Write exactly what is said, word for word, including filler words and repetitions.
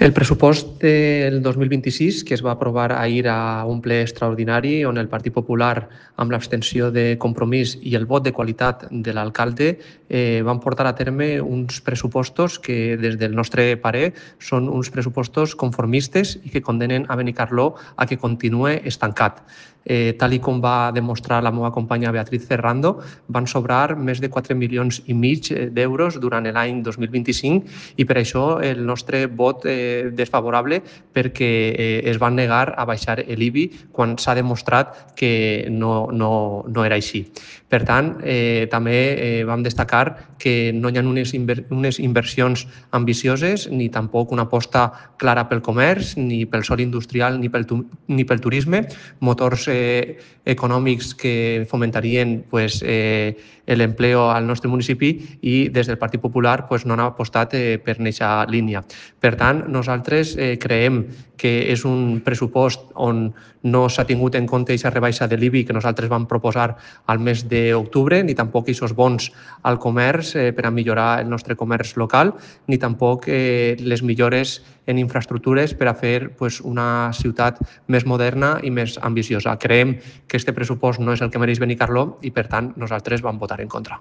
El pressupost del dos mil vint-i-sis, que es va aprovar ahir a un ple extraordinari, on el Partit Popular, amb l'abstenció de Compromís i el vot de qualitat de l'alcalde, eh, van portar a terme uns pressupostos que, des del nostre parer, són uns pressupostos conformistes i que condenen a Benicarló a que continue estancat. Eh, tal i com va demostrar la meva companya Beatriz Ferrando, van sobrar més de quatre milions i mig d'euros durant l'any dos mil vint-i-cinc i per això el nostre vot eh, desfavorable, perquè eh, es van negar a baixar l'I B I quan s'ha demostrat que no, no, no era així. Per tant, eh, també eh, vam destacar que no hi ha unes, inver unes inversions ambicioses ni tampoc una aposta clara pel comerç, ni pel sòl industrial, ni pel, ni pel turisme, motors eh, econòmics que fomentarien pues, eh, l'empleo al nostre municipi, i des del Partit Popular pues, no han apostat eh, per aquesta línia. Per tant, nosaltres eh, creiem que és un pressupost on no s'ha tingut en compte aquesta rebaixa de l'I B I que nosaltres vam proposar al mes d'octubre, ni tampoc aquests bons al comerç eh, per a millorar el nostre comerç local, ni tampoc eh, les millores en infraestructures per a fer pues, una ciutat més moderna i més ambiciosa. Creiem que aquest pressupost no és el que mereix Benicarló i, per tant, nosaltres vam votar en contra.